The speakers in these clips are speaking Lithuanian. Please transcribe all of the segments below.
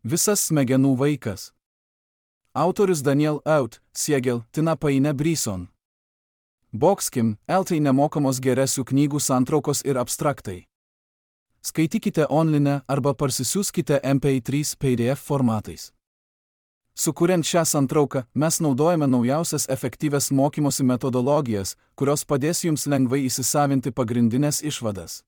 Visas smegenų vaikas. Autorius Daniel Out, Siegel, Tina Paine Bryson. Boxkim, LT nemokamos geresių knygų santraukos ir abstraktai. Skaitykite online arba parsisiųskite MP3 PDF formatais. Sukuriant šią santrauką, mes naudojame naujausias efektyvias mokymosi metodologijas, kurios padės jums lengvai įsisavinti pagrindinės išvadas.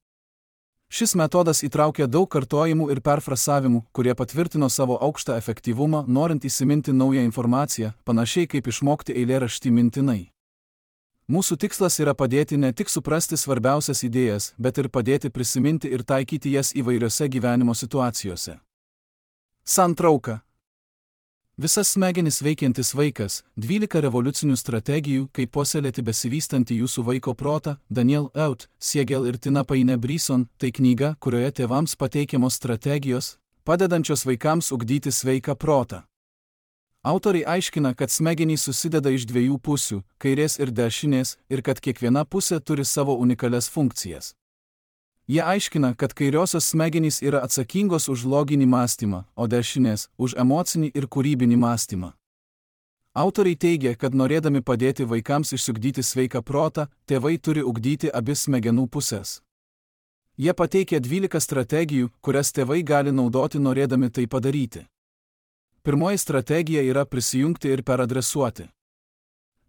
Šis metodas įtraukia daug kartojimų ir perfrasavimų, kurie patvirtino savo aukštą efektyvumą, norint įsiminti naują informaciją, panašiai kaip išmokti eilėraštį mintinai. Mūsų tikslas yra padėti ne tik suprasti svarbiausias idėjas, bet ir padėti prisiminti ir taikyti jas įvairiose gyvenimo situacijose. Santrauka. Visas smegenis veikiantis vaikas, 12 revoliucinių strategijų, kaip puoselėti besivystantį jūsų vaiko protą, Daniel Out, Siegel ir Tina Paine Bryson, tai knyga, kurioje tėvams pateikiamos strategijos, padedančios vaikams ugdyti sveiką protą. Autoriai aiškina, kad smegenys susideda iš dviejų pusių, kairės ir dešinės, ir kad kiekviena pusė turi savo unikalias funkcijas. Jie aiškina, kad kairiosios smegenys yra atsakingos už loginį mąstymą, o dešinės – už emocinį ir kūrybinį mąstymą. Autoriai teigia, kad norėdami padėti vaikams išsiugdyti sveiką protą, tėvai turi ugdyti abi smegenų pusės. Jie pateikia 12 strategijų, kurias tėvai gali naudoti norėdami tai padaryti. Pirmoji strategija yra prisijungti ir peradresuoti.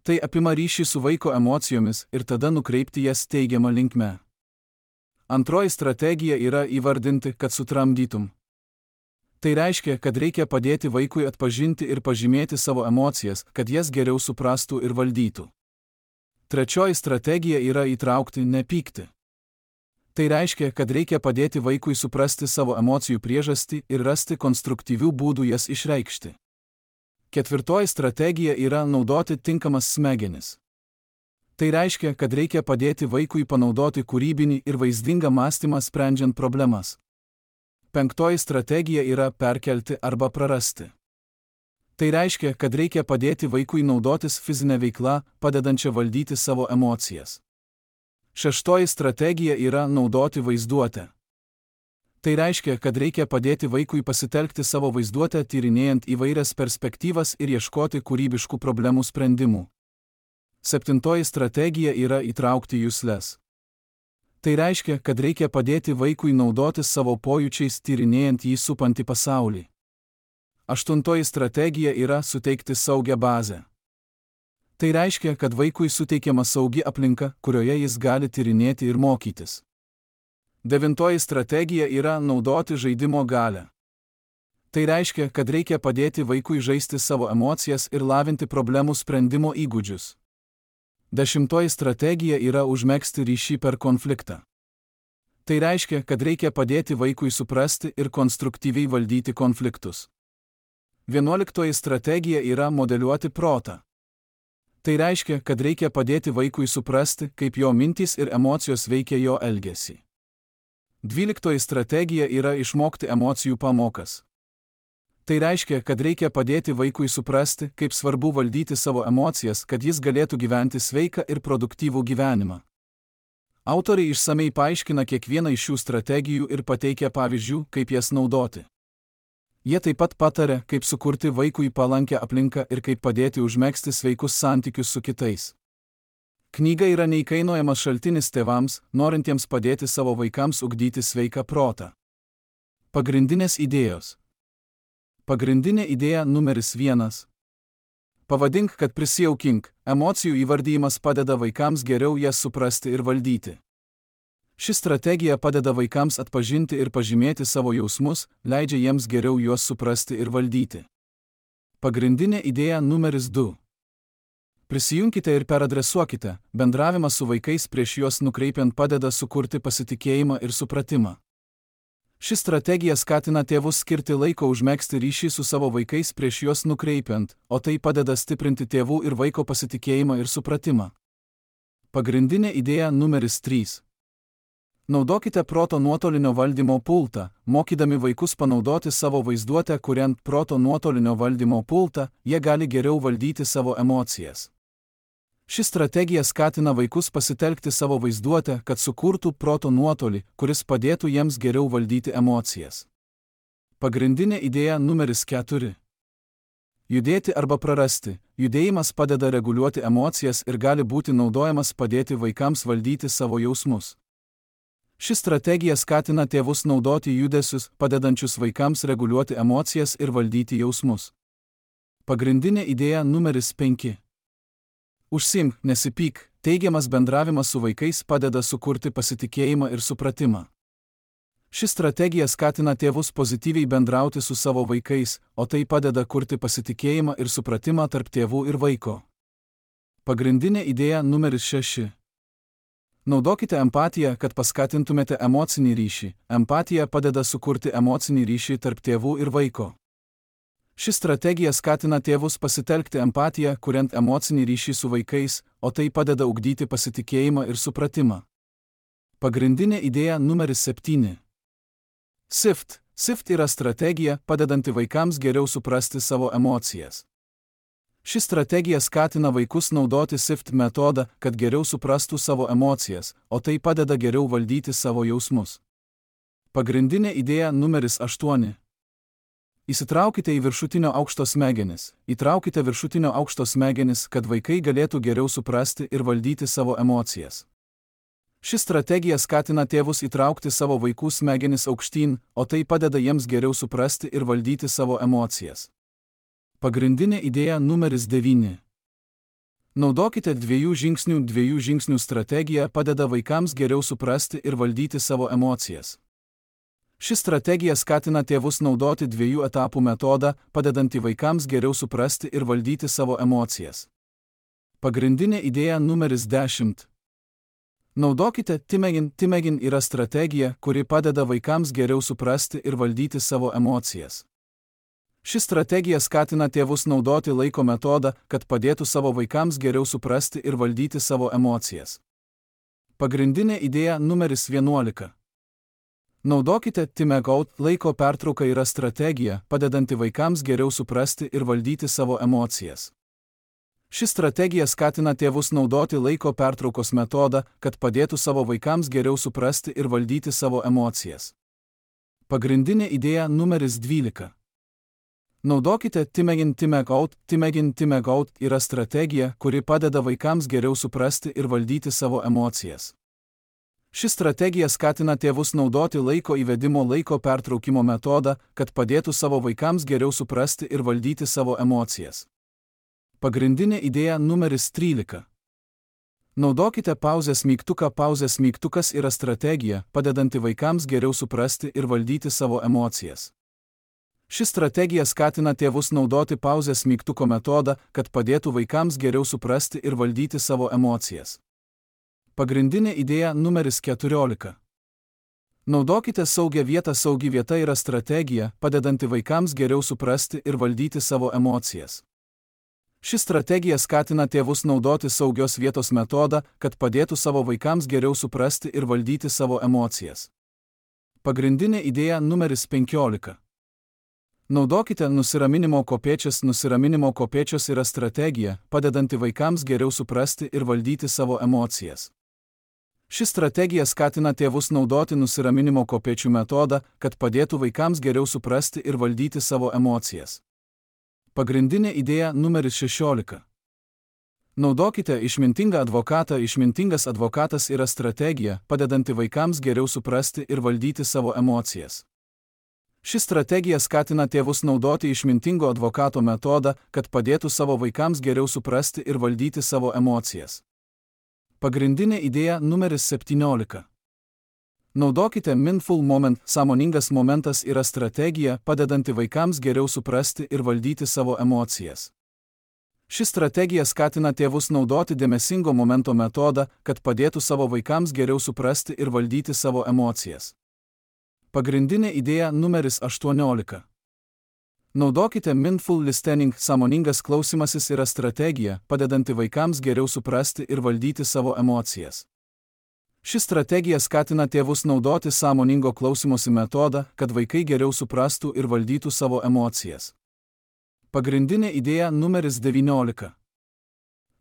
Tai apima ryšį su vaiko emocijomis ir tada nukreipti jas teigiamą linkme. Antroji strategija yra įvardinti, kad sutramdytum. Tai reiškia, kad reikia padėti vaikui atpažinti ir pažymėti savo emocijas, kad jas geriau suprastų ir valdytų. Trečioji strategija yra įtraukti, nepykti. Tai reiškia, kad reikia padėti vaikui suprasti savo emocijų priežastį ir rasti konstruktyvių būdų jas išreikšti. Ketvirtoji strategija yra naudoti tinkamas smegenis. Tai reiškia, kad reikia padėti vaikui panaudoti kūrybinį ir vaizdingą mąstymą sprendžiant problemas. Penktoji strategija yra perkelti arba prarasti. Tai reiškia, kad reikia padėti vaikui naudotis fizinę veiklą, padedančią valdyti savo emocijas. Šeštoji strategija yra naudoti vaizduotę. Tai reiškia, kad reikia padėti vaikui pasitelkti savo vaizduotę tyrinėjant įvairias perspektyvas ir ieškoti kūrybiškų problemų sprendimų. Septintoji strategija yra įtraukti jusles. Tai reiškia, kad reikia padėti vaikui naudotis savo pojūčiais tyrinėjant jį supantį pasaulį. Aštuntoji strategija yra suteikti saugią bazę. Tai reiškia, kad vaikui suteikiama saugi aplinka, kurioje jis gali tyrinėti ir mokytis. Devintoji strategija yra naudoti žaidimo galią. Tai reiškia, kad reikia padėti vaikui žaisti savo emocijas ir lavinti problemų sprendimo įgūdžius. Dešimtoji strategija yra užmegzti ryšį per konfliktą. Tai reiškia, kad reikia padėti vaikui suprasti ir konstruktyviai valdyti konfliktus. 11 strategija yra modeliuoti protą. Tai reiškia, kad reikia padėti vaikui suprasti, kaip jo mintys ir emocijos veikia jo elgesį. 12 strategija yra išmokti emocijų pamokas. Tai reiškia, kad reikia padėti vaikui suprasti, kaip svarbu valdyti savo emocijas, kad jis galėtų gyventi sveiką ir produktyvų gyvenimą. Autoriai išsamei paaiškina kiekvieną iš šių strategijų ir pateikia pavyzdžių, kaip jas naudoti. Jie taip pat pataria, kaip sukurti vaikui palankę aplinką ir kaip padėti užmegzti sveikus santykius su kitais. Knyga yra neįkainojamas šaltinis tėvams, norintiems padėti savo vaikams ugdyti sveiką protą. Pagrindinės idėjos. Pagrindinė idėja numeris 1. Pavadink, kad prisijaukink. Emocijų įvardijimas padeda vaikams geriau jas suprasti ir valdyti. Ši strategija padeda vaikams atpažinti ir pažymėti savo jausmus, leidžia jiems geriau juos suprasti ir valdyti. Pagrindinė idėja numeris 2. Prisijunkite ir peradresuokite. Bendravimas su vaikais prieš juos nukreipiant padeda sukurti pasitikėjimą ir supratimą. Ši strategija skatina tėvus skirti laiko užmegzti ryšį su savo vaikais prieš juos nukreipiant, o tai padeda stiprinti tėvų ir vaiko pasitikėjimą ir supratimą. Pagrindinė idėja numeris 3. Naudokite proto nuotolinio valdymo pultą, mokydami vaikus panaudoti savo vaizduotę, kuriant proto nuotolinio valdymo pultą, jie gali geriau valdyti savo emocijas. Ši strategija skatina vaikus pasitelkti savo vaizduotę, kad sukurtų proto nuotolį, kuris padėtų jiems geriau valdyti emocijas. Pagrindinė idėja numeris 4. Judėti arba prarasti. Judėjimas padeda reguliuoti emocijas ir gali būti naudojamas padėti vaikams valdyti savo jausmus. Ši strategija skatina tėvus naudoti judesius, padedančius vaikams reguliuoti emocijas ir valdyti jausmus. Pagrindinė idėja numeris 5. Užsiimk, nesipyk. Teigiamas bendravimas su vaikais padeda sukurti pasitikėjimą ir supratimą. Ši strategija skatina tėvus pozityviai bendrauti su savo vaikais, o tai padeda kurti pasitikėjimą ir supratimą tarp tėvų ir vaiko. Pagrindinė idėja numeris 6. Naudokite empatiją, kad paskatintumėte emocinį ryšį. Empatija padeda sukurti emocinį ryšį tarp tėvų ir vaiko. Ši strategija skatina tėvus pasitelkti empatiją, kuriant emocinį ryšį su vaikais, o tai padeda ugdyti pasitikėjimą ir supratimą. Pagrindinė idėja numeris 7. SIFT yra strategija, padedanti vaikams geriau suprasti savo emocijas. Ši strategija skatina vaikus naudoti SIFT metodą, kad geriau suprastų savo emocijas, o tai padeda geriau valdyti savo jausmus. Pagrindinė idėja numeris 8. Įsitraukite į viršutinio aukšto smegenis. Įtraukite viršutinio aukšto smegenis, kad vaikai galėtų geriau suprasti ir valdyti savo emocijas. Ši strategija skatina tėvus įtraukti savo vaikų smegenis aukštyn, o tai padeda jiems geriau suprasti ir valdyti savo emocijas. Pagrindinė idėja numeris 9. Naudokite 2 žingsnių strategiją, padeda vaikams geriau suprasti ir valdyti savo emocijas. Ši strategija skatina tėvus naudoti 2 etapų metodą, padedantį vaikams geriau suprasti ir valdyti savo emocijas. Pagrindinė idėja numeris 10. Naudokite Timegin yra strategija, kuri padeda vaikams geriau suprasti ir valdyti savo emocijas. Ši strategija skatina tėvus naudoti laiko metodą, kad padėtų savo vaikams geriau suprasti ir valdyti savo emocijas. Pagrindinė idėja numeris 11. Naudokite Timeout, laiko pertrauka yra strategija, padedanti vaikams geriau suprasti ir valdyti savo emocijas. Ši strategija skatina tėvus naudoti laiko pertraukos metodą, kad padėtų savo vaikams geriau suprasti ir valdyti savo emocijas. Pagrindinė idėja numeris 12. Naudokite Timeout yra strategija, kuri padeda vaikams geriau suprasti ir valdyti savo emocijas. Ši strategija skatina tėvus naudoti laiko įvedimo laiko pertraukimo metodą, kad padėtų savo vaikams geriau suprasti ir valdyti savo emocijas. Pagrindinė idėja numeris 13. Naudokite pauzės mygtuką. Pauzės mygtukas yra strategija, padedanti vaikams geriau suprasti ir valdyti savo emocijas. Ši strategija skatina tėvus naudoti pauzės mygtuko metodą, kad padėtų vaikams geriau suprasti ir valdyti savo emocijas. Pagrindinė idėja numeris 14. Naudokite saugią vietą. Saugi vieta yra strategija, padedanti vaikams geriau suprasti ir valdyti savo emocijas. Ši strategija skatina tėvus naudoti saugios vietos metodą, kad padėtų savo vaikams geriau suprasti ir valdyti savo emocijas. Pagrindinė idėja numeris 15. Naudokite nusiraminimo kopėčias. Nusiraminimo kopėčios yra strategija, padedanti vaikams geriau suprasti ir valdyti savo emocijas. Ši strategija skatina tėvus naudoti nusiraminimo kopėčių metodą, kad padėtų vaikams geriau suprasti ir valdyti savo emocijas. Pagrindinė idėja numeris 16. Naudokite išmintingą advokatą. Išmintingas advokatas yra strategija, padedanti vaikams geriau suprasti ir valdyti savo emocijas. Ši strategija skatina tėvus naudoti išmintingo advokato metodą, kad padėtų savo vaikams geriau suprasti ir valdyti savo emocijas. Pagrindinė idėja numeris 17. Naudokite Mindful Moment. Sąmoningas momentas yra strategija, padedanti vaikams geriau suprasti ir valdyti savo emocijas. Ši strategija skatina tėvus naudoti dėmesingo momento metodą, kad padėtų savo vaikams geriau suprasti ir valdyti savo emocijas. Pagrindinė idėja numeris 18. Naudokite Mindful Listening. Sąmoningas klausymasis yra strategija, padedanti vaikams geriau suprasti ir valdyti savo emocijas. Ši strategija skatina tėvus naudoti sąmoningo klausymosi metodą, kad vaikai geriau suprastų ir valdytų savo emocijas. Pagrindinė idėja numeris 19.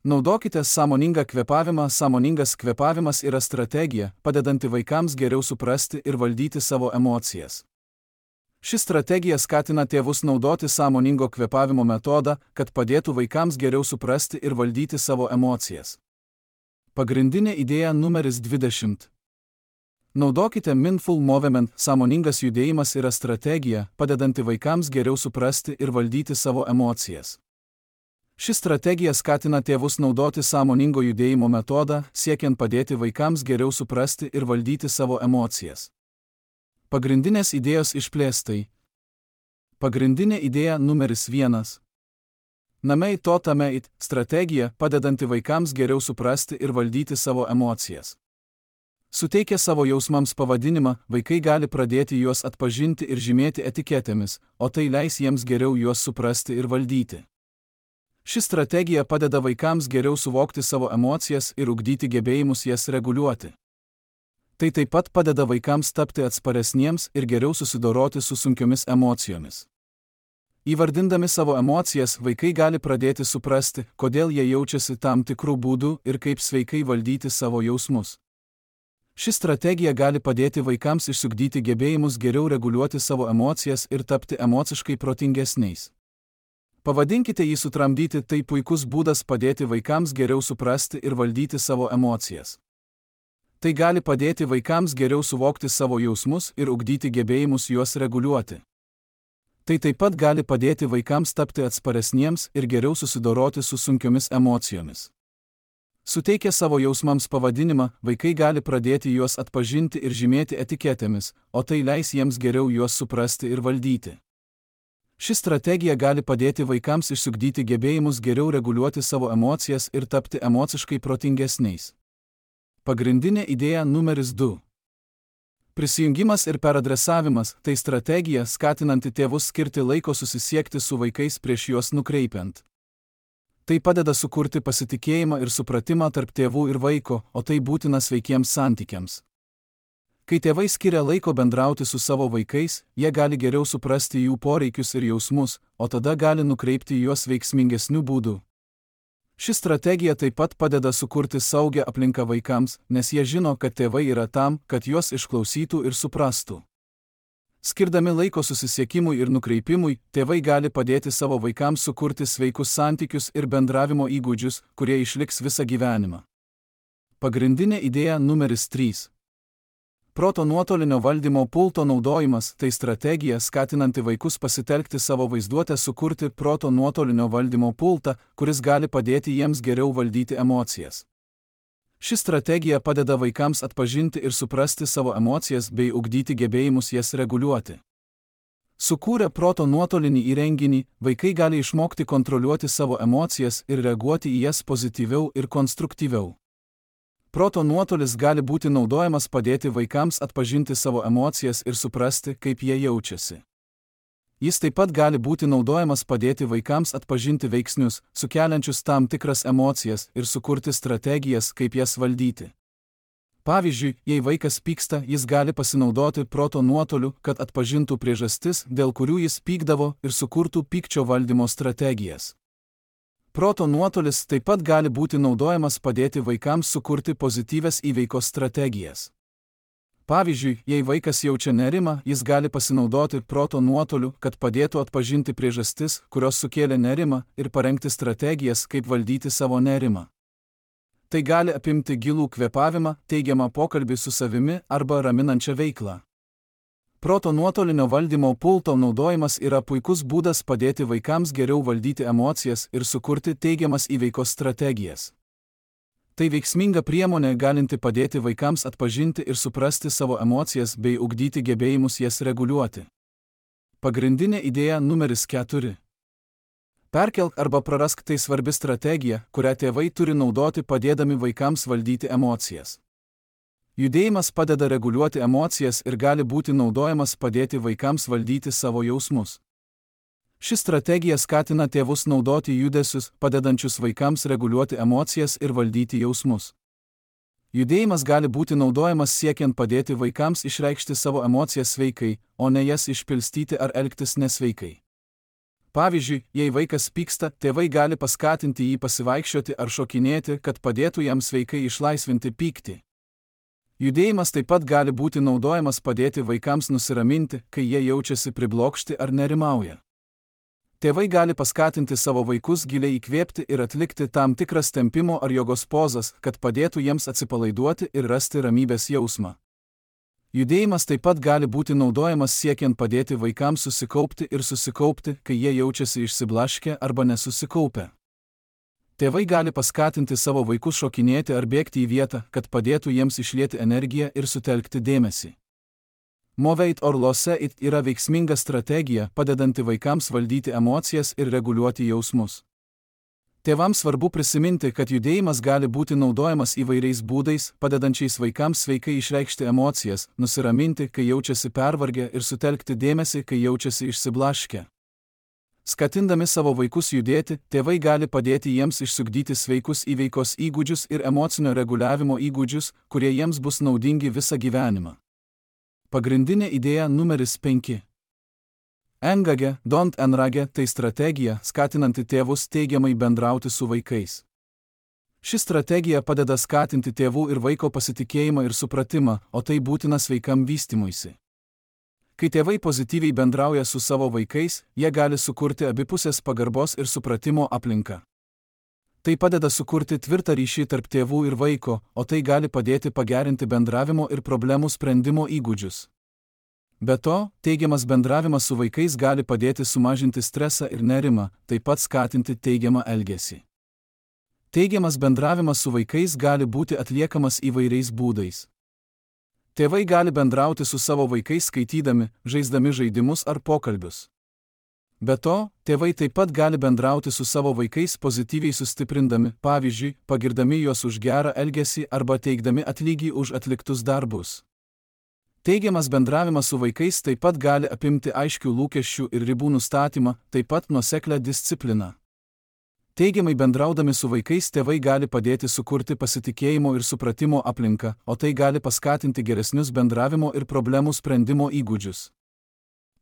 Naudokite sąmoningą kvėpavimą. Sąmoningas kvėpavimas yra strategija, padedanti vaikams geriau suprasti ir valdyti savo emocijas. Ši strategija skatina tėvus naudoti sąmoningo kvėpavimo metodą, kad padėtų vaikams geriau suprasti ir valdyti savo emocijas. Pagrindinė idėja numeris 20. Naudokite Mindful Movement. Sąmoningas judėjimas yra strategija, padedanti vaikams geriau suprasti ir valdyti savo emocijas. Ši strategija skatina tėvus naudoti sąmoningo judėjimo metodą, siekiant padėti vaikams geriau suprasti ir valdyti savo emocijas. Pagrindinės idėjos išplėstai. Pagrindinė idėja numeris 1. Namei to tameit – strategija, padedanti vaikams geriau suprasti ir valdyti savo emocijas. Suteikę savo jausmams pavadinimą, vaikai gali pradėti juos atpažinti ir žymėti etiketėmis, o tai leis jiems geriau juos suprasti ir valdyti. Ši strategija padeda vaikams geriau suvokti savo emocijas ir ugdyti gebėjimus jas reguliuoti. Tai taip pat padeda vaikams tapti atsparesniems ir geriau susidoroti su sunkiomis emocijomis. Įvardindami savo emocijas, vaikai gali pradėti suprasti, kodėl jie jaučiasi tam tikrų būdų ir kaip sveikai valdyti savo jausmus. Ši strategija gali padėti vaikams išsiugdyti gebėjimus geriau reguliuoti savo emocijas ir tapti emociškai protingesniais. Pavadinkite jį sutramdyti, tai puikus būdas padėti vaikams geriau suprasti ir valdyti savo emocijas. Tai gali padėti vaikams geriau suvokti savo jausmus ir ugdyti gebėjimus juos reguliuoti. Tai taip pat gali padėti vaikams tapti atsparesniems ir geriau susidoroti su sunkiomis emocijomis. Suteikę savo jausmams pavadinimą, vaikai gali pradėti juos atpažinti ir žymėti etiketėmis, o tai leis jiems geriau juos suprasti ir valdyti. Ši strategija gali padėti vaikams išsiugdyti gebėjimus geriau reguliuoti savo emocijas ir tapti emociškai protingesniais. Pagrindinė idėja numeris 2. Prisijungimas ir peradresavimas – tai strategija, skatinanti tėvus skirti laiko susisiekti su vaikais prieš juos nukreipiant. Tai padeda sukurti pasitikėjimą ir supratimą tarp tėvų ir vaiko, o tai būtina sveikiems santykiams. Kai tėvai skiria laiko bendrauti su savo vaikais, jie gali geriau suprasti jų poreikius ir jausmus, o tada gali nukreipti juos veiksmingesniu būdu. Ši strategija taip pat padeda sukurti saugią aplinką vaikams, nes jie žino, kad tėvai yra tam, kad juos išklausytų ir suprastų. Skirdami laiko susisiekimui ir nukreipimui, tėvai gali padėti savo vaikams sukurti sveikus santykius ir bendravimo įgūdžius, kurie išliks visą gyvenimą. Pagrindinė idėja numeris 3. Proto nuotolinio valdymo pulto naudojimas – tai strategija, skatinanti vaikus pasitelkti savo vaizduotę sukurti proto nuotolinio valdymo pultą, kuris gali padėti jiems geriau valdyti emocijas. Ši strategija padeda vaikams atpažinti ir suprasti savo emocijas bei ugdyti gebėjimus jas reguliuoti. Sukūrę proto nuotolinį įrenginį, vaikai gali išmokti kontroliuoti savo emocijas ir reaguoti į jas pozityviau ir konstruktyviau. Proto nuotolis gali būti naudojamas padėti vaikams atpažinti savo emocijas ir suprasti, kaip jie jaučiasi. Jis taip pat gali būti naudojamas padėti vaikams atpažinti veiksnius, sukeliančius tam tikras emocijas ir sukurti strategijas, kaip jas valdyti. Pavyzdžiui, jei vaikas pyksta, jis gali pasinaudoti proto nuotoliu, kad atpažintų priežastis, dėl kurių jis pykdavo ir sukurtų pykčio valdymo strategijas. Proto nuotolis taip pat gali būti naudojamas padėti vaikams sukurti pozityvias įveikos strategijas. Pavyzdžiui, jei vaikas jaučia nerimą, jis gali pasinaudoti proto nuotoliu, kad padėtų atpažinti priežastis, kurios sukėlė nerimą, ir parengti strategijas, kaip valdyti savo nerimą. Tai gali apimti gilų kvėpavimą, teigiamą pokalbį su savimi arba raminančią veiklą. Proto nuotolinio valdymo pulto naudojimas yra puikus būdas padėti vaikams geriau valdyti emocijas ir sukurti teigiamas įveikos strategijas. Tai veiksminga priemonė galinti padėti vaikams atpažinti ir suprasti savo emocijas bei ugdyti gebėjimus jas reguliuoti. Pagrindinė idėja numeris 4. Perkelk arba prarask – tai svarbi strategija, kurią tėvai turi naudoti padėdami vaikams valdyti emocijas. Judėjimas padeda reguliuoti emocijas ir gali būti naudojamas padėti vaikams valdyti savo jausmus. Ši strategija skatina tėvus naudoti judesius, padedančius vaikams reguliuoti emocijas ir valdyti jausmus. Judėjimas gali būti naudojamas siekiant padėti vaikams išreikšti savo emocijas sveikai, o ne jas išpilstyti ar elgtis nesveikai. Pavyzdžiui, jei vaikas pyksta, tėvai gali paskatinti jį pasivaikščioti ar šokinėti, kad padėtų jam sveikai išlaisvinti pyktį. Judėjimas taip pat gali būti naudojamas padėti vaikams nusiraminti, kai jie jaučiasi priblokšti ar nerimauja. Tėvai gali paskatinti savo vaikus giliai įkvėpti ir atlikti tam tikras tempimo ar jogos pozas, kad padėtų jiems atsipalaiduoti ir rasti ramybės jausmą. Judėjimas taip pat gali būti naudojamas siekiant padėti vaikams susikaupti ir susikaupti, kai jie jaučiasi išsiblaškę arba nesusikaupę. Tėvai gali paskatinti savo vaikus šokinėti ar bėgti į vietą, kad padėtų jiems išlieti energiją ir sutelkti dėmesį. Moveit or lose it yra veiksminga strategija, padedanti vaikams valdyti emocijas ir reguliuoti jausmus. Tėvams svarbu prisiminti, kad judėjimas gali būti naudojamas įvairiais būdais, padedančiais vaikams sveikai išreikšti emocijas, nusiraminti, kai jaučiasi pervargę ir sutelkti dėmesį, kai jaučiasi išsiblaškę. Skatindami savo vaikus judėti, tėvai gali padėti jiems išsiugdyti sveikus įveikos įgūdžius ir emocinio reguliavimo įgūdžius, kurie jiems bus naudingi visą gyvenimą. Pagrindinė idėja numeris 5. Engage, don't enrage tai strategija, skatinanti tėvus teigiamai bendrauti su vaikais. Ši strategija padeda skatinti tėvų ir vaiko pasitikėjimą ir supratimą, o tai būtina sveikam vystymuisi. Kai tėvai pozityviai bendrauja su savo vaikais, jie gali sukurti abipusės pagarbos ir supratimo aplinką. Tai padeda sukurti tvirtą ryšį tarp tėvų ir vaiko, o tai gali padėti pagerinti bendravimo ir problemų sprendimo įgūdžius. Be to, teigiamas bendravimas su vaikais gali padėti sumažinti stresą ir nerimą, taip pat skatinti teigiamą elgesį. Teigiamas bendravimas su vaikais gali būti atliekamas įvairiais būdais. Tėvai gali bendrauti su savo vaikais skaitydami, žaisdami žaidimus ar pokalbius. Be to, tėvai taip pat gali bendrauti su savo vaikais pozityviai sustiprindami, pavyzdžiui, pagirdami juos už gerą elgesį arba teikdami atlygį už atliktus darbus. Teigiamas bendravimas su vaikais taip pat gali apimti aiškių lūkesčių ir ribų nustatymą, taip pat nuoseklią discipliną. Teigiamai bendraudami su vaikais tėvai gali padėti sukurti pasitikėjimo ir supratimo aplinką, o tai gali paskatinti geresnius bendravimo ir problemų sprendimo įgūdžius.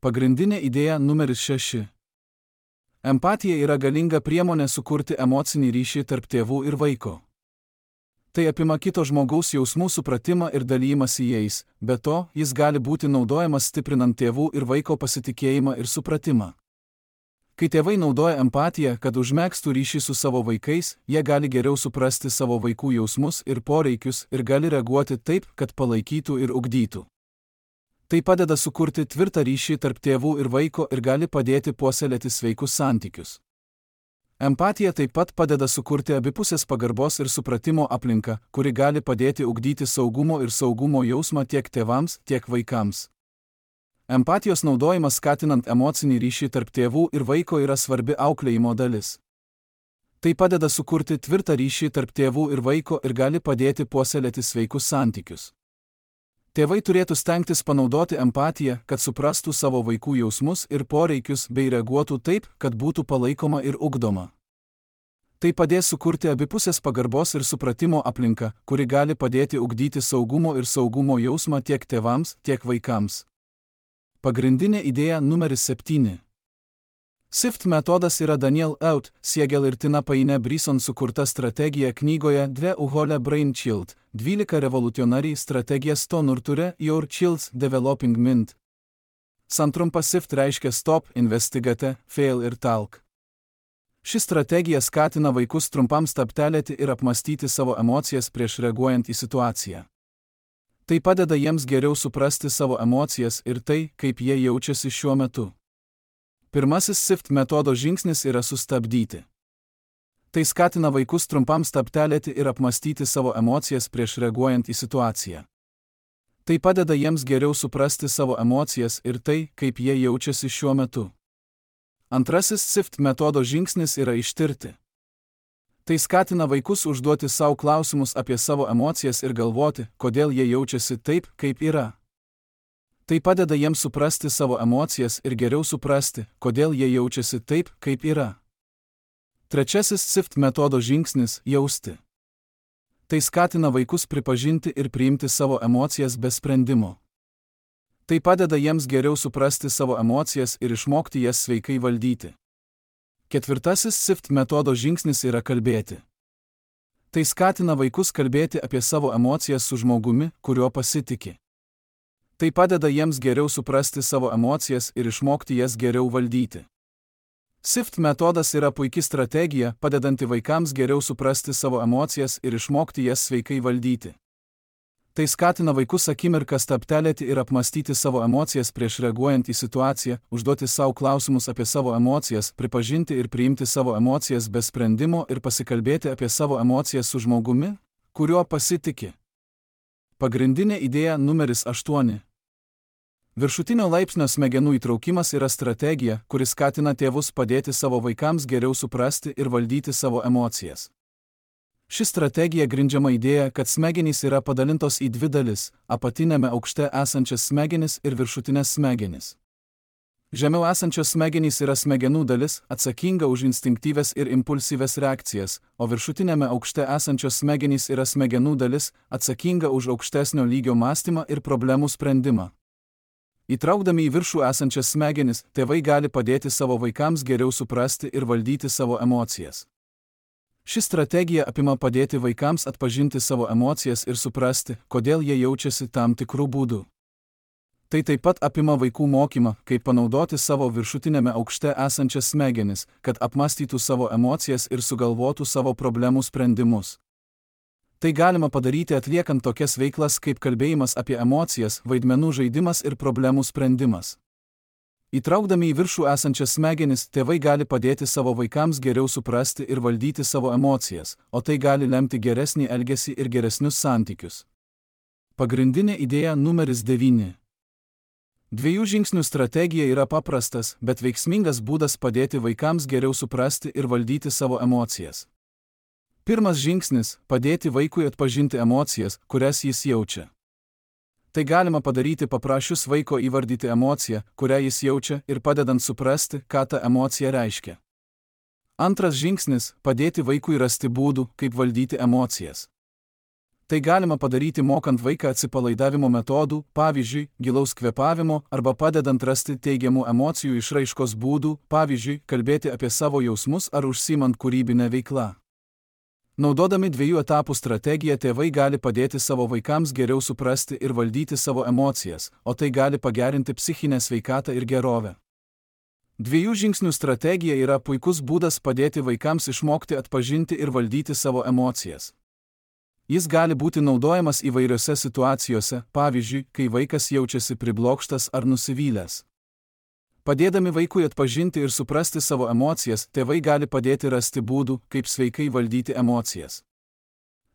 Pagrindinė idėja numeris 6. Empatija yra galinga priemonė sukurti emocinį ryšį tarp tėvų ir vaiko. Tai apima kito žmogaus jausmų supratimą ir dalymąsi jais, be to, jis gali būti naudojamas stiprinant tėvų ir vaiko pasitikėjimą ir supratimą. Kai tėvai naudoja empatiją, kad užmegztų ryšį su savo vaikais, jie gali geriau suprasti savo vaikų jausmus ir poreikius ir gali reaguoti taip, kad palaikytų ir ugdytų. Tai padeda sukurti tvirtą ryšį tarp tėvų ir vaiko ir gali padėti puoselėti sveikus santykius. Empatija taip pat padeda sukurti abipusės pagarbos ir supratimo aplinką, kuri gali padėti ugdyti saugumo ir saugumo jausmą tiek tėvams, tiek vaikams. Empatijos naudojimas skatinant emocinį ryšį tarp tėvų ir vaiko yra svarbi auklėjimo dalis. Tai padeda sukurti tvirtą ryšį tarp tėvų ir vaiko ir gali padėti puoselėti sveikus santykius. Tėvai turėtų stengtis panaudoti empatiją, kad suprastų savo vaikų jausmus ir poreikius bei reaguotų taip, kad būtų palaikoma ir ugdoma. Tai padės sukurti abipusės pagarbos ir supratimo aplinką, kuri gali padėti ugdyti saugumo ir saugumo jausmą tiek tėvams, tiek vaikams. Pagrindinė idėja numeris 7. SIFT metodas yra Daniel Out, Siegel ir Tina Payne Bryson sukurta strategija knygoje Dve uhole Brain Child, 12 revoliucionariai strategija Stonurture Your Child's Developing Mind. Santrumpa SIFT reiškia Stop, Investigate, Fail ir Talk. Ši strategija skatina vaikus trumpam stabtelėti ir apmastyti savo emocijas prieš reaguojant į situaciją. Tai padeda jiems geriau suprasti savo emocijas ir tai, kaip jie jaučiasi šiuo metu. Pirmasis SIFT metodo žingsnis yra sustabdyti. Tai skatina vaikus trumpam stabtelėti ir apmastyti savo emocijas prieš reaguojant į situaciją. Tai padeda jiems geriau suprasti savo emocijas ir tai, kaip jie jaučiasi šiuo metu. Antrasis SIFT metodo žingsnis yra ištirti. Tai skatina vaikus užduoti savo klausimus apie savo emocijas ir galvoti, kodėl jie jaučiasi taip, kaip yra. Tai padeda jiems suprasti savo emocijas ir geriau suprasti, kodėl jie jaučiasi taip, kaip yra. Trečiasis SIFT metodo žingsnis – jausti. Tai skatina vaikus pripažinti ir priimti savo emocijas be sprendimo. Tai padeda jiems geriau suprasti savo emocijas ir išmokti jas sveikai valdyti. Ketvirtasis SIFT metodo žingsnis yra kalbėti. Tai skatina vaikus kalbėti apie savo emocijas su žmogumi, kuriuo pasitiki. Tai padeda jiems geriau suprasti savo emocijas ir išmokti jas geriau valdyti. SIFT metodas yra puiki strategija, padedanti vaikams geriau suprasti savo emocijas ir išmokti jas sveikai valdyti. Tai skatina vaikus akimirką stabtelėti ir apmastyti savo emocijas prieš reaguojant į situaciją, užduoti savo klausimus apie savo emocijas, pripažinti ir priimti savo emocijas be sprendimo ir pasikalbėti apie savo emocijas su žmogumi, kuriuo pasitiki. Pagrindinė idėja numeris 8. Viršutinio laipsnio smegenų įtraukimas yra strategija, kuri skatina tėvus padėti savo vaikams geriau suprasti ir valdyti savo emocijas. Ši strategija grindžiama idėja, kad smegenys yra padalintos į dvi dalis – apatinėme aukšte esančias smegenis ir viršutinės smegenis. Žemiau esančios smegenys yra smegenų dalis, atsakinga už instinktyves ir impulsyves reakcijas, o viršutinėme aukšte esančios smegenys yra smegenų dalis, atsakinga už aukštesnio lygio mąstymą ir problemų sprendimą. Įtraukdami į viršų esančias smegenis, tėvai gali padėti savo vaikams geriau suprasti ir valdyti savo emocijas. Ši strategija apima padėti vaikams atpažinti savo emocijas ir suprasti, kodėl jie jaučiasi tam tikrų būdų. Tai taip pat apima vaikų mokymą, kaip panaudoti savo viršutinėme aukšte esančias smegenis, kad apmąstytų savo emocijas ir sugalvotų savo problemų sprendimus. Tai galima padaryti atliekant tokias veiklas kaip kalbėjimas apie emocijas, vaidmenų žaidimas ir problemų sprendimas. Įtraukdami į viršų esančias smegenis, tėvai gali padėti savo vaikams geriau suprasti ir valdyti savo emocijas, o tai gali lemti geresnį elgesį ir geresnius santykius. Pagrindinė idėja numeris 9. 2 žingsnių strategija yra paprastas, bet veiksmingas būdas padėti vaikams geriau suprasti ir valdyti savo emocijas. Pirmas žingsnis – padėti vaikui atpažinti emocijas, kurias jis jaučia. Tai galima padaryti paprašius vaiko įvardyti emociją, kurią jis jaučia, ir padedant suprasti, ką ta emocija reiškia. Antras žingsnis – padėti vaikui rasti būdų, kaip valdyti emocijas. Tai galima padaryti mokant vaiką atsipalaidavimo metodų, pavyzdžiui, gilaus kvėpavimo, arba padedant rasti teigiamų emocijų išraiškos būdų, pavyzdžiui, kalbėti apie savo jausmus ar užsiimant kūrybinę veiklą. Naudodami 2 etapų strategiją tėvai gali padėti savo vaikams geriau suprasti ir valdyti savo emocijas, o tai gali pagerinti psichinę sveikatą ir gerovę. 2 žingsnių strategija yra puikus būdas padėti vaikams išmokti atpažinti ir valdyti savo emocijas. Jis gali būti naudojamas įvairiose situacijose, pavyzdžiui, kai vaikas jaučiasi priblokštas ar nusivylęs. Padėdami vaikui atpažinti ir suprasti savo emocijas, tėvai gali padėti rasti būdų, kaip sveikai valdyti emocijas.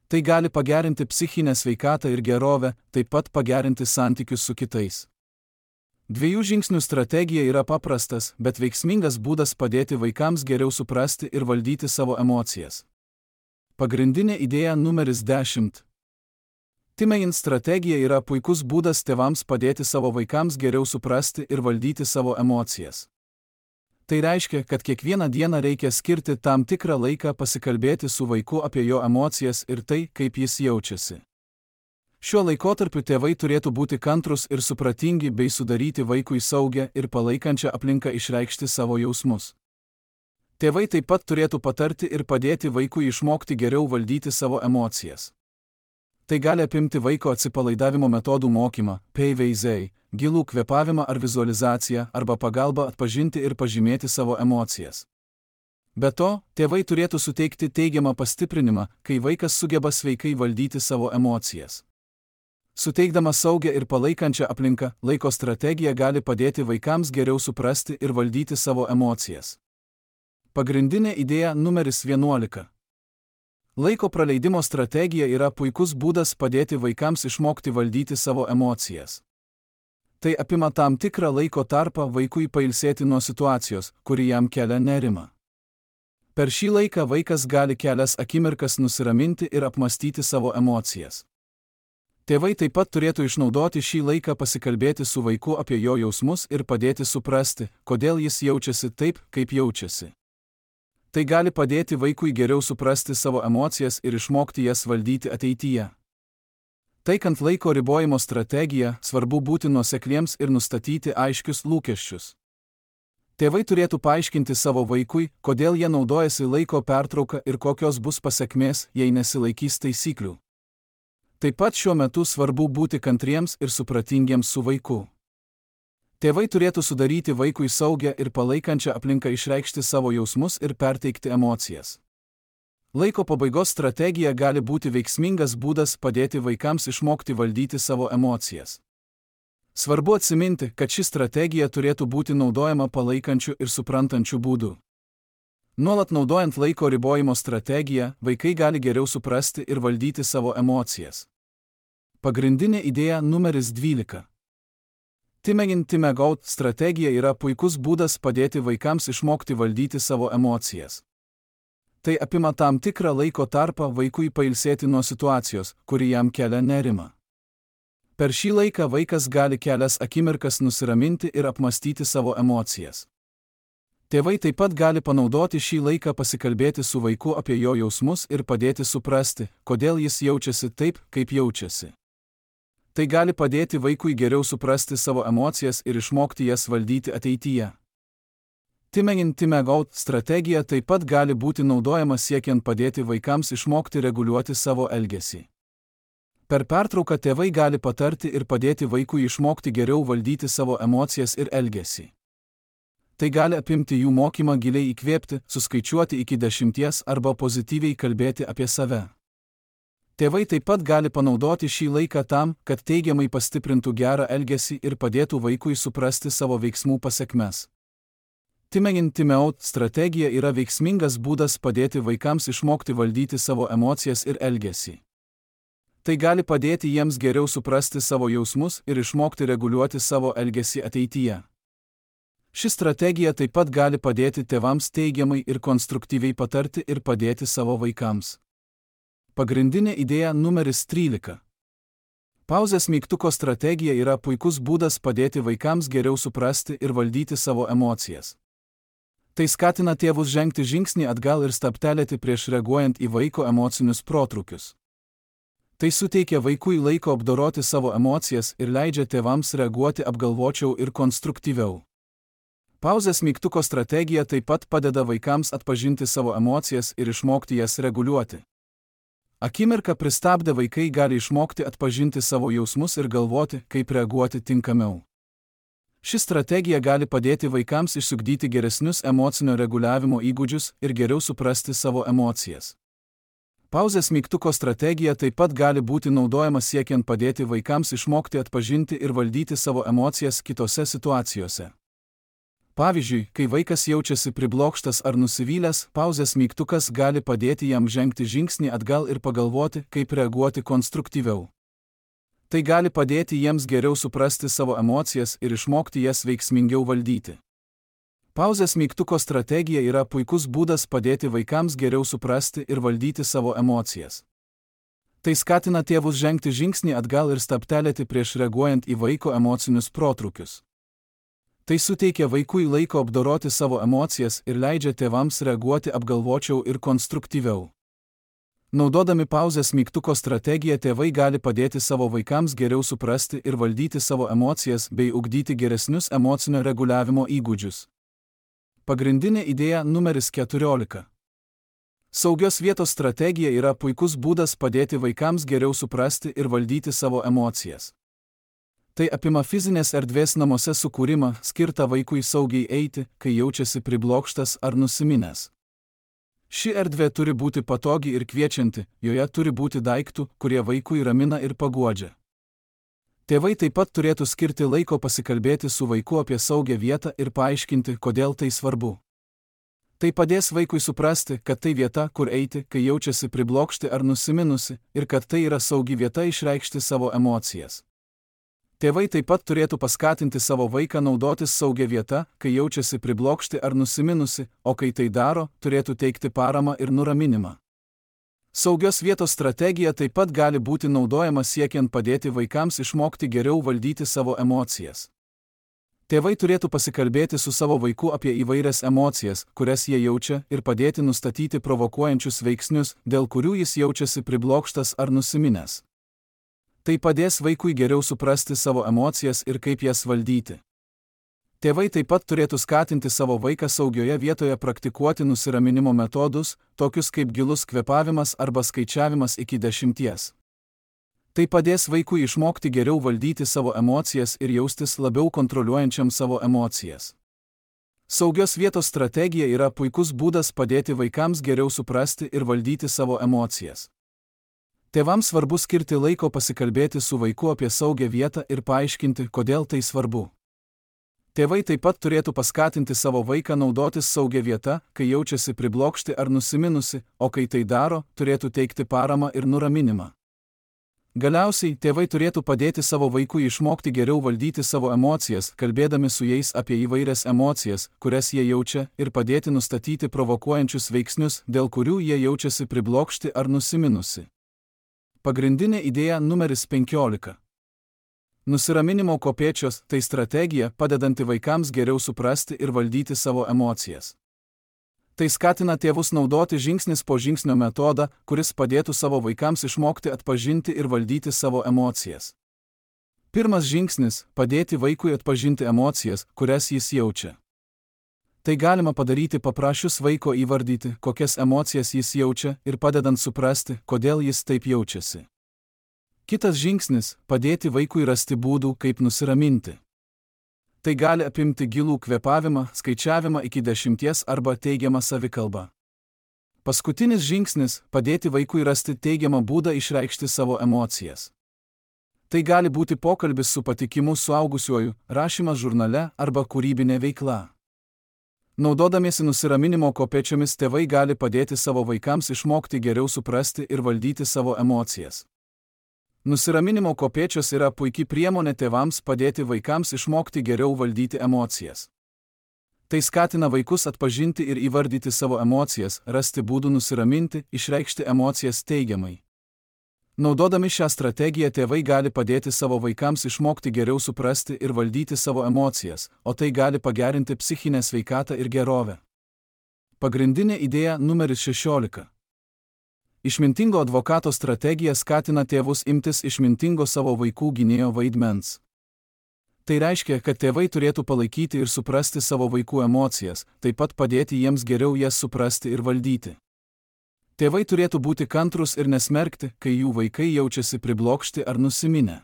Tai gali pagerinti psichinę sveikatą ir gerovę, taip pat pagerinti santykius su kitais. 2 žingsnių strategija yra paprastas, bet veiksmingas būdas padėti vaikams geriau suprasti ir valdyti savo emocijas. Pagrindinė idėja numeris 10. Timein strategija yra puikus būdas tėvams padėti savo vaikams geriau suprasti ir valdyti savo emocijas. Tai reiškia, kad kiekvieną dieną reikia skirti tam tikrą laiką pasikalbėti su vaiku apie jo emocijas ir tai, kaip jis jaučiasi. Šiuo laikotarpiu tėvai turėtų būti kantrūs ir supratingi bei sudaryti vaikui saugią ir palaikančią aplinką išreikšti savo jausmus. Tėvai taip pat turėtų patarti ir padėti vaikui išmokti geriau valdyti savo emocijas. Tai gali apimti vaiko atsipalaidavimo metodų mokymą, PVZ, gilų kvėpavimą ar vizualizaciją, arba pagalbą atpažinti ir pažymėti savo emocijas. Be to, tėvai turėtų suteikti teigiamą pastiprinimą, kai vaikas sugeba sveikai valdyti savo emocijas. Suteikdama saugią ir palaikančią aplinką, laiko strategija gali padėti vaikams geriau suprasti ir valdyti savo emocijas. Pagrindinė idėja numeris 11. Laiko praleidimo strategija yra puikus būdas padėti vaikams išmokti valdyti savo emocijas. Tai apima tam tikrą laiko tarpą vaikui pailsėti nuo situacijos, kuri jam kelia nerimą. Per šį laiką vaikas gali kelias akimirkas nusiraminti ir apmastyti savo emocijas. Tėvai taip pat turėtų išnaudoti šį laiką pasikalbėti su vaiku apie jo jausmus ir padėti suprasti, kodėl jis jaučiasi taip, kaip jaučiasi. Tai gali padėti vaikui geriau suprasti savo emocijas ir išmokti jas valdyti ateityje. Taikant laiko ribojimo strategiją, svarbu būti nuosekliems ir nustatyti aiškius lūkesčius. Tėvai turėtų paaiškinti savo vaikui, kodėl jie naudojasi laiko pertrauka ir kokios bus pasekmės, jei nesilaikys taisyklių. Taip pat šiuo metu svarbu būti kantriems ir supratingiems su vaiku. Tėvai turėtų sudaryti vaikui saugią ir palaikančią aplinką išreikšti savo jausmus ir perteikti emocijas. Laiko pabaigos strategija gali būti veiksmingas būdas padėti vaikams išmokti valdyti savo emocijas. Svarbu atsiminti, kad ši strategija turėtų būti naudojama palaikančiu ir suprantančiu būdu. Nuolat naudojant laiko ribojimo strategiją, vaikai gali geriau suprasti ir valdyti savo emocijas. Pagrindinė idėja numeris 12. Time in, time out strategija yra puikus būdas padėti vaikams išmokti valdyti savo emocijas. Tai apima tam tikrą laiko tarpą vaikui pailsėti nuo situacijos, kuri jam kelia nerimą. Per šį laiką vaikas gali kelias akimirkas nusiraminti ir apmastyti savo emocijas. Tėvai taip pat gali panaudoti šį laiką pasikalbėti su vaiku apie jo jausmus ir padėti suprasti, kodėl jis jaučiasi taip, kaip jaučiasi. Tai gali padėti vaikui geriau suprasti savo emocijas ir išmokti jas valdyti ateityje. Time in, time out strategija taip pat gali būti naudojama siekiant padėti vaikams išmokti reguliuoti savo elgesį. Per pertrauką tėvai gali patarti ir padėti vaikui išmokti geriau valdyti savo emocijas ir elgesį. Tai gali apimti jų mokymą giliai įkvėpti, suskaičiuoti iki 10 arba pozityviai kalbėti apie save. Tėvai taip pat gali panaudoti šį laiką tam, kad teigiamai pastiprintų gerą elgesį ir padėtų vaikui suprasti savo veiksmų pasekmes. Time in, time out strategija yra veiksmingas būdas padėti vaikams išmokti valdyti savo emocijas ir elgesį. Tai gali padėti jiems geriau suprasti savo jausmus ir išmokti reguliuoti savo elgesį ateityje. Ši strategija taip pat gali padėti tėvams teigiamai ir konstruktyviai patarti ir padėti savo vaikams. Pagrindinė idėja numeris 13. Pauzės mygtuko strategija yra puikus būdas padėti vaikams geriau suprasti ir valdyti savo emocijas. Tai skatina tėvus žengti žingsnį atgal ir stabtelėti prieš reaguojant į vaiko emocinius protrūkius. Tai suteikia vaikui laiko apdoroti savo emocijas ir leidžia tėvams reaguoti apgalvočiau ir konstruktyviau. Pauzės mygtuko strategija taip pat padeda vaikams atpažinti savo emocijas ir išmokti jas reguliuoti. Akimirką pristabdę vaikai gali išmokti atpažinti savo jausmus ir galvoti, kaip reaguoti tinkamiau. Ši strategija gali padėti vaikams išsiugdyti geresnius emocinio reguliavimo įgūdžius ir geriau suprasti savo emocijas. Pauzės mygtuko strategija taip pat gali būti naudojama siekiant padėti vaikams išmokti atpažinti ir valdyti savo emocijas kitose situacijose. Pavyzdžiui, kai vaikas jaučiasi priblokštas ar nusivylęs, pauzės mygtukas gali padėti jam žengti žingsnį atgal ir pagalvoti, kaip reaguoti konstruktyviau. Tai gali padėti jiems geriau suprasti savo emocijas ir išmokti jas veiksmingiau valdyti. Pauzės mygtuko strategija yra puikus būdas padėti vaikams geriau suprasti ir valdyti savo emocijas. Tai skatina tėvus žengti žingsnį atgal ir stabtelėti prieš reaguojant į vaiko emocinius protrūkius. Tai suteikia vaikui laiko apdoroti savo emocijas ir leidžia tėvams reaguoti apgalvočiau ir konstruktyviau. Naudodami pauzės mygtuko strategiją tėvai gali padėti savo vaikams geriau suprasti ir valdyti savo emocijas bei ugdyti geresnius emocinio reguliavimo įgūdžius. Pagrindinė idėja numeris 14. Saugios vietos strategija yra puikus būdas padėti vaikams geriau suprasti ir valdyti savo emocijas. Tai apima fizinės erdvės namuose sukūrimą, skirtą vaikui saugiai eiti, kai jaučiasi priblokštas ar nusiminęs. Ši erdvė turi būti patogi ir kviečianti, joje turi būti daiktų, kurie vaikui ramina ir paguodžia. Tėvai taip pat turėtų skirti laiko pasikalbėti su vaiku apie saugią vietą ir paaiškinti, kodėl tai svarbu. Tai padės vaikui suprasti, kad tai vieta, kur eiti, kai jaučiasi priblokšti ar nusiminusi, ir kad tai yra saugi vieta išreikšti savo emocijas. Tėvai taip pat turėtų paskatinti savo vaiką naudotis saugia vieta, kai jaučiasi priblokšti ar nusiminusi, o kai tai daro, turėtų teikti paramą ir nuraminimą. Saugios vietos strategija taip pat gali būti naudojama siekiant padėti vaikams išmokti geriau valdyti savo emocijas. Tėvai turėtų pasikalbėti su savo vaiku apie įvairias emocijas, kurias jie jaučia, ir padėti nustatyti provokuojančius veiksnius, dėl kurių jis jaučiasi priblokštas ar nusiminęs. Tai padės vaikui geriau suprasti savo emocijas ir kaip jas valdyti. Tėvai taip pat turėtų skatinti savo vaiką saugioje vietoje praktikuoti nusiraminimo metodus, tokius kaip gilus kvėpavimas arba skaičiavimas iki 10. Tai padės vaikui išmokti geriau valdyti savo emocijas ir jaustis labiau kontroliuojančiam savo emocijas. Saugios vietos strategija yra puikus būdas padėti vaikams geriau suprasti ir valdyti savo emocijas. Tėvams svarbu skirti laiko pasikalbėti su vaiku apie saugią vietą ir paaiškinti, kodėl tai svarbu. Tėvai taip pat turėtų paskatinti savo vaiką naudotis saugia vieta, kai jaučiasi priblokšti ar nusiminusi, o kai tai daro, turėtų teikti paramą ir nuraminimą. Galiausiai, tėvai turėtų padėti savo vaikui išmokti geriau valdyti savo emocijas, kalbėdami su jais apie įvairias emocijas, kurias jie jaučia, ir padėti nustatyti provokuojančius veiksnius, dėl kurių jie jaučiasi priblokšti ar nusiminusi. Pagrindinė idėja numeris 15. Nusiraminimo kopėčios – tai strategija, padedanti vaikams geriau suprasti ir valdyti savo emocijas. Tai skatina tėvus naudoti žingsnis po žingsnio metodą, kuris padėtų savo vaikams išmokti atpažinti ir valdyti savo emocijas. Pirmas žingsnis – padėti vaikui atpažinti emocijas, kurias jis jaučia. Tai galima padaryti paprašius vaiko įvardyti, kokias emocijas jis jaučia ir padedant suprasti, kodėl jis taip jaučiasi. Kitas žingsnis – padėti vaikui rasti būdų, kaip nusiraminti. Tai gali apimti gilų kvėpavimą, skaičiavimą iki 10 arba teigiamą savikalbą. Paskutinis žingsnis – padėti vaikui rasti teigiamą būdą išreikšti savo emocijas. Tai gali būti pokalbis su patikimu suaugusiuoju, rašymas žurnale arba kūrybinė veikla. Naudodamiesi nusiraminimo kopėčiomis tėvai gali padėti savo vaikams išmokti geriau suprasti ir valdyti savo emocijas. Nusiraminimo kopėčios yra puikia priemonė tėvams padėti vaikams išmokti geriau valdyti emocijas. Tai skatina vaikus atpažinti ir įvardyti savo emocijas, rasti būdų nusiraminti, išreikšti emocijas teigiamai. Naudodami šią strategiją tėvai gali padėti savo vaikams išmokti geriau suprasti ir valdyti savo emocijas, o tai gali pagerinti psichinę sveikatą ir gerovę. Pagrindinė idėja numeris 16. Išmintingo advokato strategija skatina tėvus imtis išmintingo savo vaikų gynėjo vaidmens. Tai reiškia, kad tėvai turėtų palaikyti ir suprasti savo vaikų emocijas, taip pat padėti jiems geriau jas suprasti ir valdyti. Tėvai turėtų būti kantrūs ir nesmerkti, kai jų vaikai jaučiasi priblokšti ar nusiminę.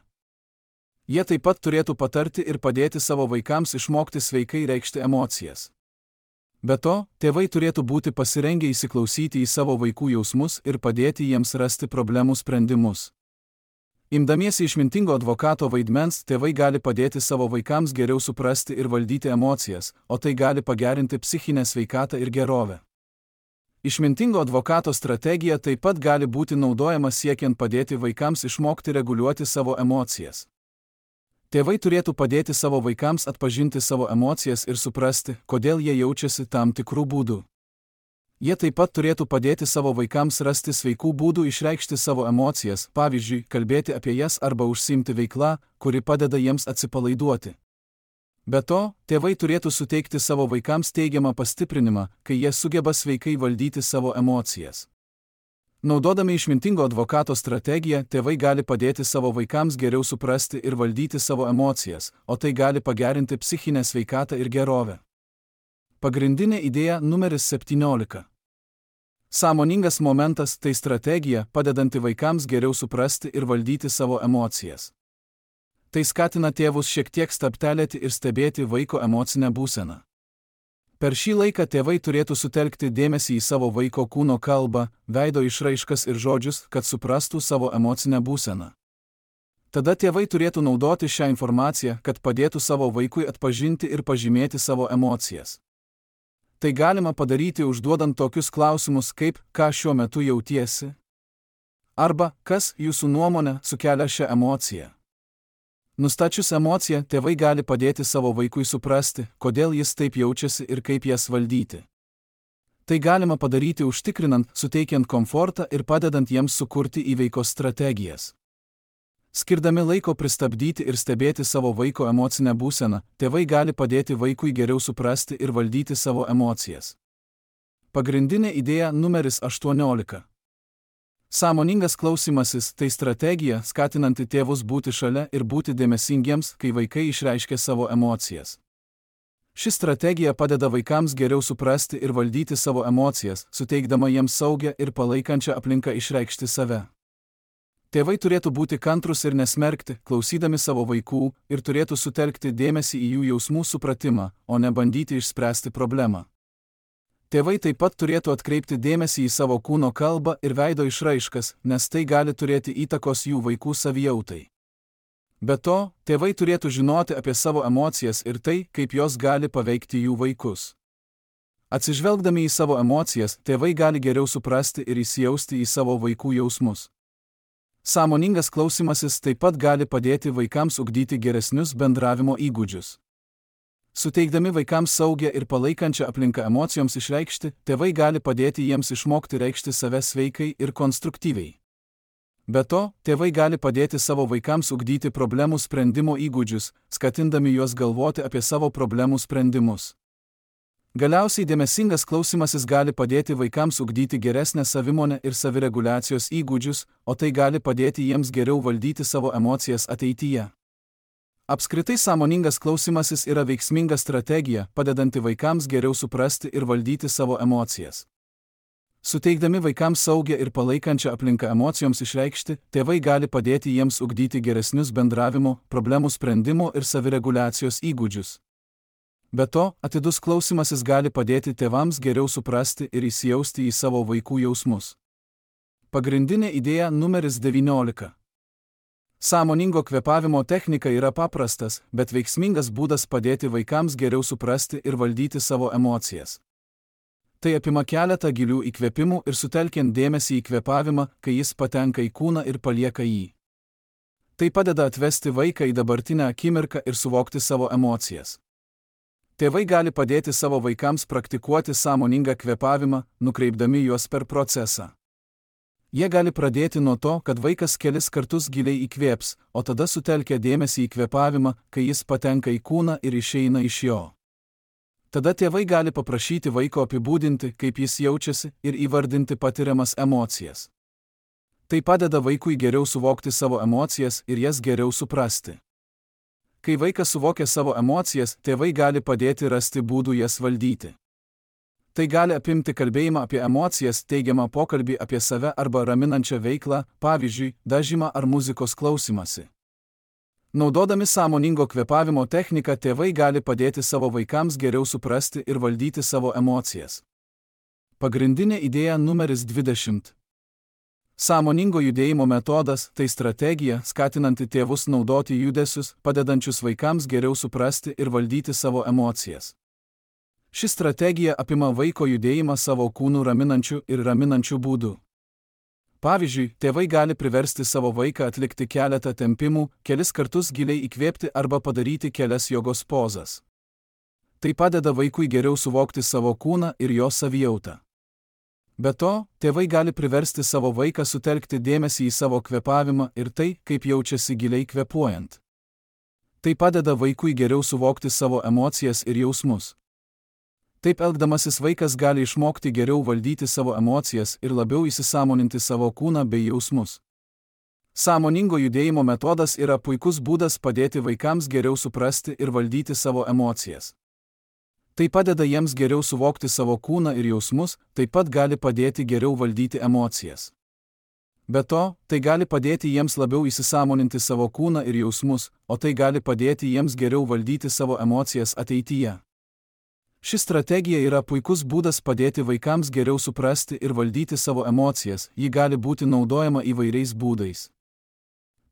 Jie taip pat turėtų patarti ir padėti savo vaikams išmokti sveikai reikšti emocijas. Be to, tėvai turėtų būti pasirengę įsiklausyti į savo vaikų jausmus ir padėti jiems rasti problemų sprendimus. Imdamiesi išmintingo advokato vaidmens, tėvai gali padėti savo vaikams geriau suprasti ir valdyti emocijas, o tai gali pagerinti psichinę sveikatą ir gerovę. Išmintingo advokato strategija taip pat gali būti naudojama siekiant padėti vaikams išmokti reguliuoti savo emocijas. Tėvai turėtų padėti savo vaikams atpažinti savo emocijas ir suprasti, kodėl jie jaučiasi tam tikrų būdų. Jie taip pat turėtų padėti savo vaikams rasti sveikų būdų išreikšti savo emocijas, pavyzdžiui, kalbėti apie jas arba užsiimti veiklą, kuri padeda jiems atsipalaiduoti. Be to, tėvai turėtų suteikti savo vaikams teigiamą pastiprinimą, kai jie sugeba sveikai valdyti savo emocijas. Naudodami išmintingo advokato strategiją, tėvai gali padėti savo vaikams geriau suprasti ir valdyti savo emocijas, o tai gali pagerinti psichinę sveikatą ir gerovę. Pagrindinė idėja numeris 17. Sąmoningas momentas – tai strategija, padedanti vaikams geriau suprasti ir valdyti savo emocijas. Tai skatina tėvus šiek tiek stabtelėti ir stebėti vaiko emocinę būseną. Per šį laiką tėvai turėtų sutelkti dėmesį į savo vaiko kūno kalbą, veido išraiškas ir žodžius, kad suprastų savo emocinę būseną. Tada tėvai turėtų naudoti šią informaciją, kad padėtų savo vaikui atpažinti ir pažymėti savo emocijas. Tai galima padaryti užduodant tokius klausimus kaip „ką šiuo metu jautiesi?“ arba „kas, jūsų nuomone, sukelia šią emociją?“ Nustačius emociją, tėvai gali padėti savo vaikui suprasti, kodėl jis taip jaučiasi ir kaip jas valdyti. Tai galima padaryti užtikrinant, suteikiant komfortą ir padedant jiems sukurti įveikos strategijas. Skirdami laiko pristabdyti ir stebėti savo vaiko emocinę būseną, tėvai gali padėti vaikui geriau suprasti ir valdyti savo emocijas. Pagrindinė idėja numeris 18. Sąmoningas klausymasis – tai strategija, skatinanti tėvus būti šalia ir būti dėmesingiems, kai vaikai išreiškia savo emocijas. Ši strategija padeda vaikams geriau suprasti ir valdyti savo emocijas, suteikdama jiems saugią ir palaikančią aplinką išreikšti save. Tėvai turėtų būti kantrūs ir nesmerkti, klausydami savo vaikų, ir turėtų sutelkti dėmesį į jų jausmų supratimą, o ne bandyti išspręsti problemą. Tėvai taip pat turėtų atkreipti dėmesį į savo kūno kalbą ir veido išraiškas, nes tai gali turėti įtakos jų vaikų savijautai. Be to, tėvai turėtų žinoti apie savo emocijas ir tai, kaip jos gali paveikti jų vaikus. Atsižvelgdami į savo emocijas, tėvai gali geriau suprasti ir įsijausti į savo vaikų jausmus. Sąmoningas klausymasis taip pat gali padėti vaikams ugdyti geresnius bendravimo įgūdžius. Suteikdami vaikams saugią ir palaikančią aplinką emocijoms išreikšti, tėvai gali padėti jiems išmokti reikšti save sveikai ir konstruktyviai. Be to, tėvai gali padėti savo vaikams ugdyti problemų sprendimo įgūdžius, skatindami juos galvoti apie savo problemų sprendimus. Galiausiai dėmesingas klausymasis gali padėti vaikams ugdyti geresnę savimonę ir savireguliacijos įgūdžius, o tai gali padėti jiems geriau valdyti savo emocijas ateityje. Apskritai sąmoningas klausymasis yra veiksminga strategija, padedanti vaikams geriau suprasti ir valdyti savo emocijas. Suteikdami vaikams saugią ir palaikančią aplinką emocijoms išreikšti, tėvai gali padėti jiems ugdyti geresnius bendravimo, problemų sprendimo ir savireguliacijos įgūdžius. Be to, atidus klausymasis gali padėti tėvams geriau suprasti ir įsijausti į savo vaikų jausmus. Pagrindinė idėja numeris 19. Sąmoningo kvėpavimo technika yra paprastas, bet veiksmingas būdas padėti vaikams geriau suprasti ir valdyti savo emocijas. Tai apima keletą gilių įkvėpimų ir sutelkiant dėmesį į kvėpavimą, kai jis patenka į kūną ir palieka jį. Tai padeda atvesti vaiką į dabartinę akimirką ir suvokti savo emocijas. Tėvai gali padėti savo vaikams praktikuoti sąmoningą kvėpavimą, nukreipdami juos per procesą. Jie gali pradėti nuo to, kad vaikas kelis kartus giliai įkvėps, o tada sutelkia dėmesį į kvėpavimą, kai jis patenka į kūną ir išeina iš jo. Tada tėvai gali paprašyti vaiko apibūdinti, kaip jis jaučiasi, ir įvardinti patiriamas emocijas. Tai padeda vaikui geriau suvokti savo emocijas ir jas geriau suprasti. Kai vaikas suvokia savo emocijas, tėvai gali padėti rasti būdų jas valdyti. Tai gali apimti kalbėjimą apie emocijas, teigiamą pokalbį apie save arba raminančią veiklą, pavyzdžiui, dažymą ar muzikos klausymąsi. Naudodami sąmoningo kvėpavimo techniką, tėvai gali padėti savo vaikams geriau suprasti ir valdyti savo emocijas. Pagrindinė idėja numeris 20. Sąmoningo judėjimo metodas – tai strategija, skatinanti tėvus naudoti judesius, padedančius vaikams geriau suprasti ir valdyti savo emocijas. Ši strategija apima vaiko judėjimą savo kūnų raminančių ir raminančių būdų. Pavyzdžiui, tėvai gali priversti savo vaiką atlikti keletą tempimų, kelis kartus giliai įkvėpti arba padaryti kelias jogos pozas. Tai padeda vaikui geriau suvokti savo kūną ir jo savijautą. Be to, tėvai gali priversti savo vaiką sutelkti dėmesį į savo kvėpavimą ir tai, kaip jaučiasi giliai kvėpuojant. Tai padeda vaikui geriau suvokti savo emocijas ir jausmus. Taip elgdamasis vaikas gali išmokti geriau valdyti savo emocijas ir labiau įsisąmoninti savo kūną bei jausmus. Sąmoningo judėjimo metodas yra puikus būdas padėti vaikams geriau suprasti ir valdyti savo emocijas. Tai padeda jiems geriau suvokti savo kūną ir jausmus, taip pat gali padėti geriau valdyti emocijas. Be to, tai gali padėti jiems labiau įsisąmoninti savo kūną ir jausmus, o tai gali padėti jiems geriau valdyti savo emocijas ateityje. Ši strategija yra puikus būdas padėti vaikams geriau suprasti ir valdyti savo emocijas, ji gali būti naudojama įvairiais būdais.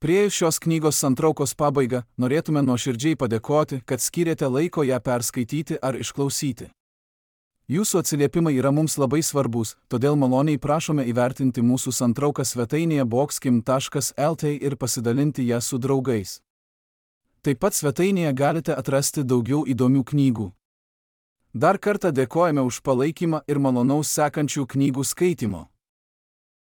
Priėjus šios knygos santraukos pabaigą, norėtume nuoširdžiai padėkoti, kad skyrėte laiko ją perskaityti ar išklausyti. Jūsų atsiliepimai yra mums labai svarbus, todėl maloniai prašome įvertinti mūsų santrauką svetainėje boxkim.lt ir pasidalinti ją su draugais. Taip pat svetainėje galite atrasti daugiau įdomių knygų. Dar kartą dėkojame už palaikymą ir malonaus sekančių knygų skaitimo.